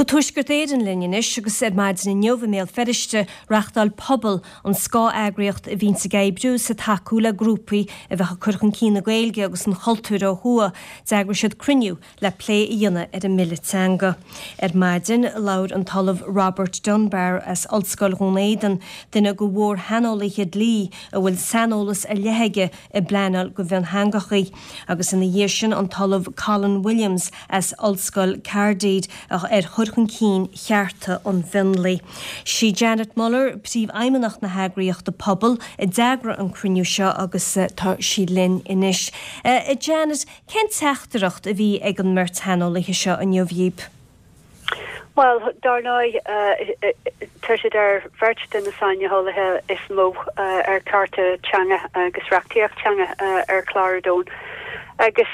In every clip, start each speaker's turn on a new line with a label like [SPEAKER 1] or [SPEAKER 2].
[SPEAKER 1] Go Tuaisceart Éireann linn anois agus ar maidin inniu i mBéal Feirste, reachtáil Pobal, an scáth-eagraíocht a bhíonns ag oibriú is ag tacú le grúpaí a bheadh ag cur chun cinn na Gaeilge agus an chultúir ó thuaidh, d'eagraigh siad cruinniú le plé a dhéanamh ar an mBille Teanga. Ar maidin, labhair an tOllamh Robert Dunbar as Ollscoil Dhún Éideann, duine de mhór-shaineolaithe dlí a bhfuil saineolas ar leith aige i bpleanáil do mhiontheangachaí, agus ina dhiaidh sin an tOllamh Colin Williams as Ollscoil Caerdydd ar chur chun cinn chearta an mhionlaigh. Sí Janet Muller, Príomhfheidhmeannach na heagraíochta Pobal, a d'eagraigh an cruinniú seo agus tá sí linn anois. A Janet, cén teachtaireacht a bhí ag an mbeirt shaineolaithe seo inniu dhíbh?
[SPEAKER 2] Bhuel, dar ndóigh, tá siad ar bheirt de na saineolaithe is mó ar chearta teanga agus reachtaíocht teanga ar chlár an domhain. Agus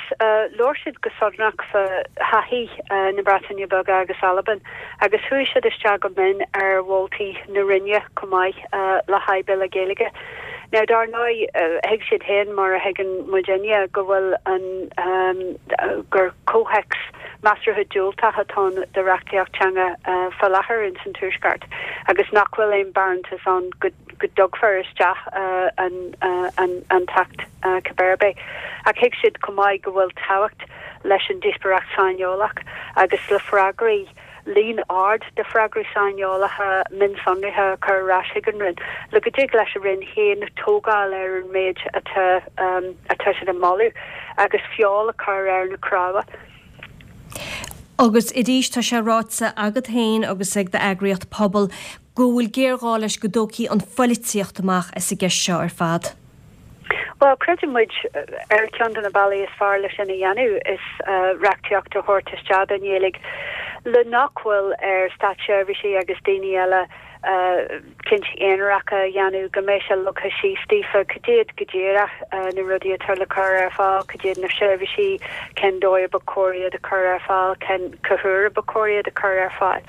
[SPEAKER 2] labhair siad go sonrach fá thaithí na Breataine Beaga agus Albain agus chuaigh siad isteach go mion ar mholtaí na Roinne chomh maith le haghaidh Bille Gaeilge. Now, dar ndóigh, thuig siad féin, mar a thuigeann muidinne, go bhfuil an, gur comhthéacs measartha diúltach atá ann do reachtaíocht teanga fá láthair ins an Tuaisceart agus nach bhfuil aon barántas ann go dtugfar isteach an, an, an tAcht cibé ar bith. Ach thuig siad chomh maith go bhfuil tábhacht leis an díospóireacht saineolach agus le freagraí líon ard de freagraí saineolacha mionsonraithe a chur ar ais chuig an Roinn, le go dtig leis an Roinn féin tógáil ar an méid atá atá siad ag moladh agus feoil a chur ar na cnámha.
[SPEAKER 1] Agus arís, tá sé ráite agat féin agus ag d'eagraíocht Pobal go bhfuil géarghá leis go dtógfaí an phoilitíocht amach as an gceist seo ar fad.
[SPEAKER 2] Bhuel, creideann muid, ar cheann de na bealaí is fearr le sin a dhéanamh is reachtaíocht a thabhairt isteach don Ghaeilge le nach bhfuil ar státseirbhísigh agus daoine eile cinntí aonaracha a dhéanamh, go mbeidh sé leagtha síos daofa cad iad go díreach na rudaí atá le cur ar fáil, cad iad na seirbhísí, cén dóigh a ba chóir iad a chur ar fáil, cén cá huair a ba chóir iad a chur ar fáil.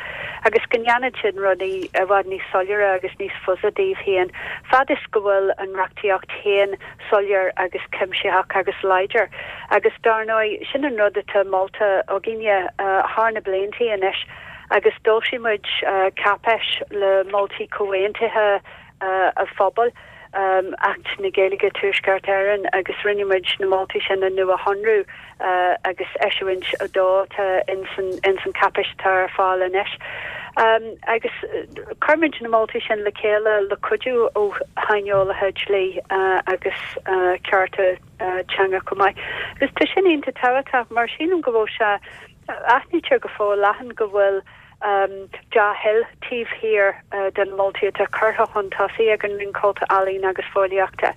[SPEAKER 2] Agus go ndéanfadh sin rudaí i bhfad níos soiléire agus níos fusa daoibh féin, fad is go bhfuil an reachtaíocht féin soiléir agus cuimsitheach agus láidir. Agus dar ndóigh, sin an rud atá molta againne thar na bliantaí anois agus d'fhoilsigh muid cáipéis le moltaí comhaontaithe an phobail, Acht na Gaeilge, Tuaisceart Éireann, agus rinne muid na moltaí sin a nuashonrú agus eisiúint 2 atá ins an cháipéis atá ar fáil anois. Agus chuir muid na moltaí sin le chéile le cuidiú ó shaineolaithe dlí agus cearta teanga chomh maith. Agus tá sin iontach tábhachtach mar sílim go bhfuil sé, aithnítear go forleathan go bhfuil dea-thoil taobh thiar de na moltaí atá curtha chun tosaigh ag an Roinn Cultúir, Ealaíon agus Fóillíochta,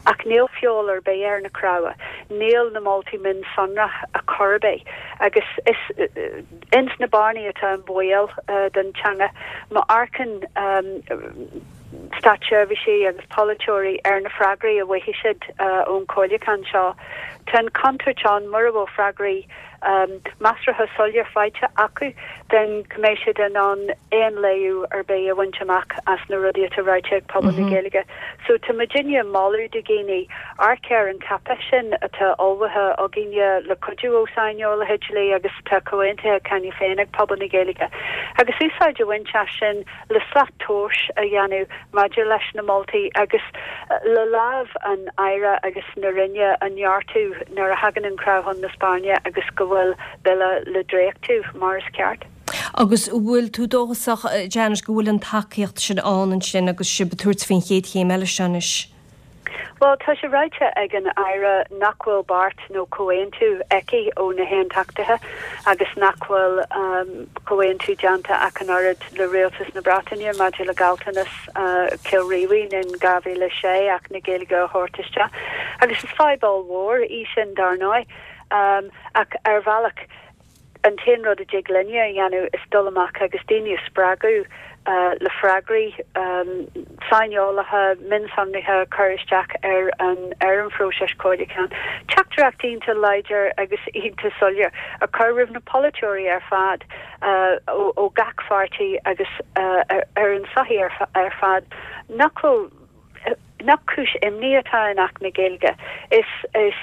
[SPEAKER 2] ach níl feoil ar bith ar na cnámha, níl na moltaí mionsonraithe ar chor ar bith, agus is ins na bearnaí atá an baol don teanga. Má amharcann státseirbhísigh agus polaiteoirí ar na freagraí a bhfaighidh siad ón chomhairliúchán seo, tá an chontúirt ann, mura bhfuil freagraí measartha soiléir faighte acu, then go mbeidh siad in ann aon léiriú ar bith a bhaint amach as na rudaí atá ráite ag pobal na Gaeilge. So tá muidinne ag moladh do dhaoine amharc ar an cháipéis sin atá ullmhaithe againne le cuidiú ó saineolaithe dlí agus atá comhaontaithe cheana féin ag pobal na Gaeilge agus úsáid a bhaint as sin le slat tomhais a dhéanamh maidir leis na moltaí agus le lámh an Aire agus na Roinne a neartú nuair a thagann an crá chun na spairne agus go bhfuil Bille le dréachtú mar is ceart.
[SPEAKER 1] Agus an bhfuil tú dóchasach, Janet, go bhfuil an tacaíocht sin ann ansin agus sibh ag tabhairt faoin chéad chéim eile seo anois?
[SPEAKER 2] Bhuel, tá sé ráite ag an Aire nach bhfuil beart nó comhaontú aici ó na hAontachtaithe agus nach bhfuil comhaontú déanta ach an oiread le Rialtas na Breataine maidir le gealltanas Chill Rímhinn in 2006 Acht na Gaeilge a thabhairt isteach. Agus is fadhb ollmhór í sin, dar ndóigh. Ach ar bhealach, An t-aon rud a dtig linne a dhéanamh is dul amach agus daoine a spreagadh le freagraí saineolacha mionsonraithe a chur isteach ar an ar an phróiseas comhairliúcháin. Teachtaireacht iontach láidir agus iontach soiléir a chur roimh na polaiteoirí ar fad ó gach pháirtí agus ar an tsochaí ar fad nach bhfuil. Nach cúis imní atá in Acht na Gaeilge. Is is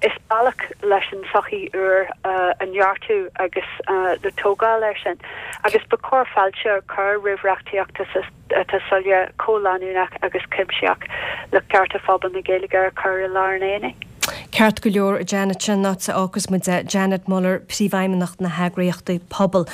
[SPEAKER 2] is bealach leis an tsochaí úr a neartú agus le tógáil air sin. Agus ba chóir fáilte a chur roimh reachtaíocht atá soiléir, comhleanúnach agus cuimsitheach le cearta phobal na Gaeilge a chur i lár an aonaigh.
[SPEAKER 1] Ceart go leor, Janet, sin an áit a fhágfas muid é. Janet Muller, Príomhfheidhmeannach na heagraíochta Pobal.